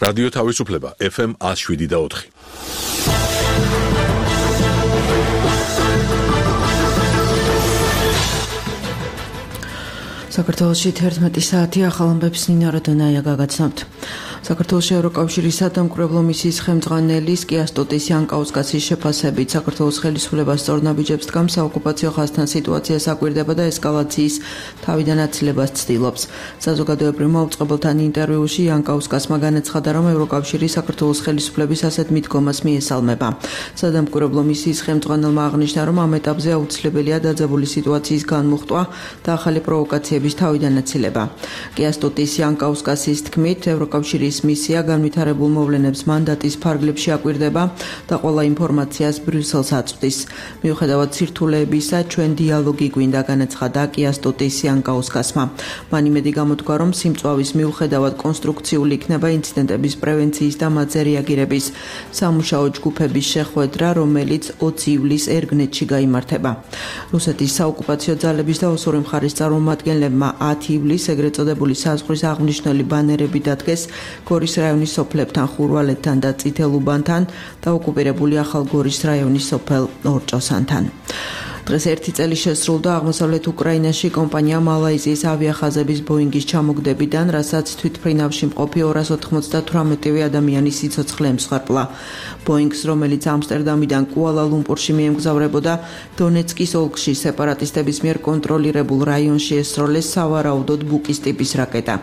რადიო თავისუფლება FM 107.4. საქართველოში 11 საათი ახალ ამბებს ნინა როდონაია გაგაცნობთ. საქართველოს ევროკავშირის სადამკვირვებლო მისიის ხელმძღვანელის კიასტოტის იანკაუსკასის შეფასებით საქართველოს ხელისუფლებას სწორნაბიჯებს დგამს საოკუპაციო ხაზთან სიტუაციას აკვირდება და ესკალაციის თავიდან აცილებას ცდილობს. საზოგადოებრივ მაუწყებელთან ინტერვიუში იანკაუსკასმა განაცხადა, რომ ევროკავშირი საქართველოს ხელისუფლების ასეთ მიდგომას მიესალმება. სადამკვირვებლო მისიის ხელმძღვანელმა აღნიშნა, რომ ამ ეტაპზე აუცილებელია დაძაბული სიტუაციის განმუხტვა და ახალი პროვოკაციების თავიდან აცილება. კიასტოტის იანკაუსკასის თქმით, ევროკავშირის მისია განვითარებულ მოვლენებს მანდატის ფარგლებში აკვირდება და ყველა ინფორმაციას ბრიუსელს აწვდის. მიუხედავად სირთულეებისა, ჩვენ დიალოგი გვინდა, განაცხადა კიასტოტის იანკაუსკასმა. მან იმედი გამოთქვა, რომ სიმწვავის მიუხედავად კონსტრუქციული იქნება ინციდენტების პრევენციის და მათზე რეაგირების სამუშაო ჯგუფების შეხვედრა, რომელიც 20 ივლისს ერგნეტში გაიმართება. რუსეთის საოკუპაციო ძალების და ოსური მხარის წარმომადგენლებმა 10 ივლისს ეგრეთ წოდებული საზღვრის აღნიშნული ბანერები დადგეს გორის რაიონის სოფლებთან, ხურვალეთთან და წითელუბანთან და ოკუპირებული ახალ გორის რაიონის სოფელ ორჭოსანთან. დღეს 1 წელი შესრულდა აღმოსავლეთ უკრაინაში კომპანია მალაიზიის ავიახაზების ბოინგის ჩამოგდებიდან, რასაც თვითმფრინავში მყოფი 298 ადამიანის სიცოცხლე ემსხვერპლა. ბოინგს, რომელიც ამსტერდამიდან კუალა-ლუმპურში მიემგზავრებოდა, დონეცკის ოლქში სეპარატისტების მიერ კონტროლირებულ რაიონში ესროლეს სავარაუდოდ ბუკის ტიპის რაკეტა.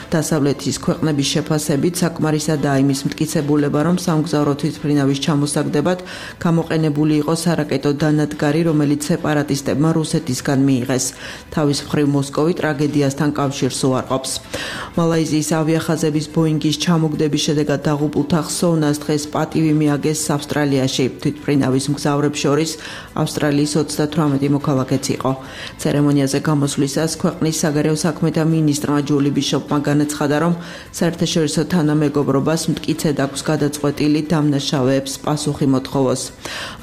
დასავლეთის ქვეყნების შეფასებით საკმარისადაა იმის მტკიცებულება, რომ სამგზავრო თვითმფრინავის ჩამოსაგდებად გამოყენებული იყო სარაკეტო დანადგარი, რომელიც სეპარატისტებმა რუსეთისგან მიიღეს. თავის მხრივ მოსკოვი ტრაგედიასთან კავშირს უარყოფს. მალაიზიის ავიახაზების ბოინგის ჩამოგდების შედეგად დაღუპულთა ხსოვნას დღეს პატივი მიაგეს ავსტრალიაში. თვითმფრინავის მგზავრებს შორის ავსტრალიის 38 მოქალაქეც იყო. ცერემონიაზე გამოსვლისას ქვეყნის საგარეო საქმეთა მინისტრმა ჯული ბიშოპმა განაცხადა, რომ საერთაშორისო თანამეგობრობას მტკიცედ აქვს გადაწყვეტილი დამნაშავეებს პასუხი მოთხოვოს.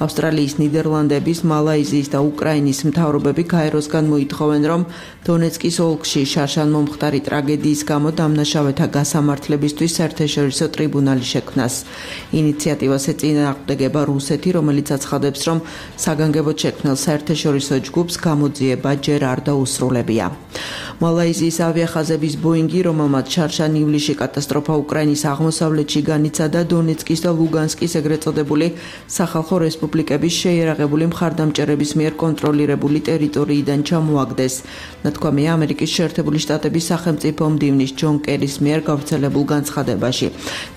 ავსტრალიის, ნიდერლანდების, მალაიზიის და უკრაინის მთავრობები გაეროსგან მოითხოვენ, რომ დონეცკის ოლქში შარშან მომხდარი ტრაგედიის გამო დამნაშავეთა გასამართლებისთვის საერთაშორისო ტრიბუნალი შექმნას. ინიციატივას ეწინააღმდეგება რუსეთი, რომელიც აცხადებს, რომ საგანგებოდ შექმნილ საერთაშორისო ჯგუფს გამოძიება ჯერ არ დაუსრულებია. მალაიზიის ავიახაზების ბოინგი, რომელმაც შარშან ივლისში კატასტროფა უკრაინის აღმოსავლეთში განიცადა, დონეცკის და ლუგანსკის ეგრეთ წოდებული სახალხო რესპუბლიკების შეიარაღებული მხარდამჭერების მიერ კონტროლირებული ტერიტორიიდან ჩამოაგდეს. ნათქვამია ამერიკის შეერთებული შტატების სახელმწიფო მდივნის ჯონ კერის მიერ გავრცელებულ განცხადებაში.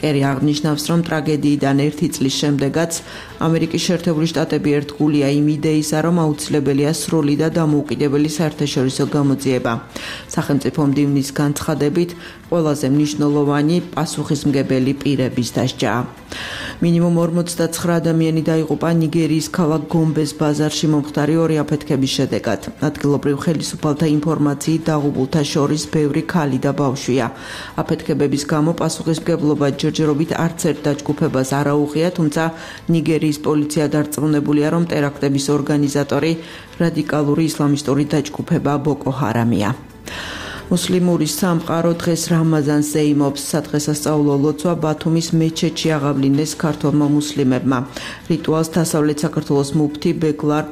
კერი აღნიშნავს, რომ ტრაგედიიდან 1 წლის შემდეგაც ამერიკის შეერთებული შტატები ერთგულია იმ იდეისა, რომ აუცილებელია სრული და დამოუკიდებელი საერთაშორისო გამოძიება. სახელმწიფო მდივნის განცხადებით, ყველაზე მნიშვნელოვანი პასუხისმგებელი პირების დასჯა. მინიმუმ 49 ადამიანი დაიღუპა ნიგერიის ქალაქ გომბეს ბაზარში მომხდარი 2 აფეთქების შედეგად. ადგილობრივ ხელისუფალთა ინფორმაციით დაღუპულთა შორის ბევრი ქალი და ბავშვია. აფეთქებების გამო პასუხისმგებლობა ჯერჯერობით არც ერთ დაჯგუფებას არ აუღია, თუმცა ნიგერიის პოლიცია დარწმუნებულია, რომ ტერაქტების ორგანიზატორი რადიკალური ისლამისტური დაჯგუფება ბოკო ჰარამია. მუსლიმური სამყარო დღეს რამაზანს ზეიმობს. სადღესასწაულო ლოცვა ბათუმის მეჩეთში აღავლინეს ქართველმა მუსლიმებმა. რიტუალს დასავლეთ საქართველოს მუფთი ბეგლარ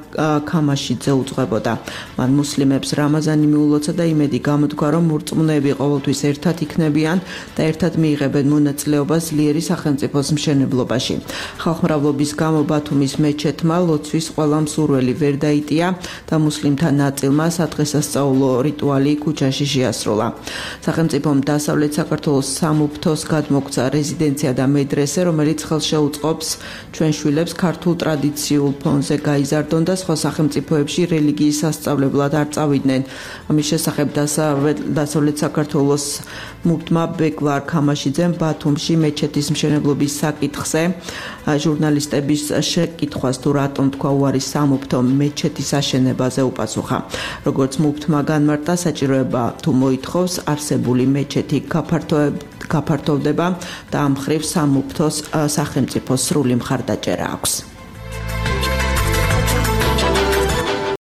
ქამაშიძე უძღვებოდა. მან მუსლიმებს რამაზანი მიულოცა და იმედი გამოთქვა, რომ მორწმუნეები ყოველთვის ერთად იქნებიან და ერთად მიიღებენ მონაწილეობას ძლიერი სახელმწიფოს მშენებლობაში. ხალხმრავლობის გამო ბათუმის მეჩეთმა ლოცვის ყველა მსურველი ვერ დაიტია და მუსლიმთა ნაწილმა სადღესასწაულო რიტუალი ქუჩაში შეასრულა. სახელმწიფომ დასავლეთ საქართველოს სამუფთოს გადმოგვცა რეზიდენცია და მედრესე, რომელიც ხელშეუწყობს ჩვენ შვილებს ქართულ ტრადიციულ ფონზე გაიზარდონ და სხვა სახელმწიფოებში რელიგიის სასწავლებლად არ წავიდნენ. ამის შესახებ დასავლეთ საქართველოს მუფთმა ბეგლარ ქამაშიძემ ბათუმში მეჩეთის მშენებლობის საკითხზე ჟურნალისტების შეკითხვას თუ რატომ თქვა უარი სამუფთომ მეჩეთის აშენებაზე უპასუხა. როგორც მუფთმა განმარტა, საჭიროება თუ მოითხოვს არსებული მეჩეთი გაფართოვდება და ამ მხრივ სამუფთოს სახელმწიფოს სრული მხარდაჭერა აქვს.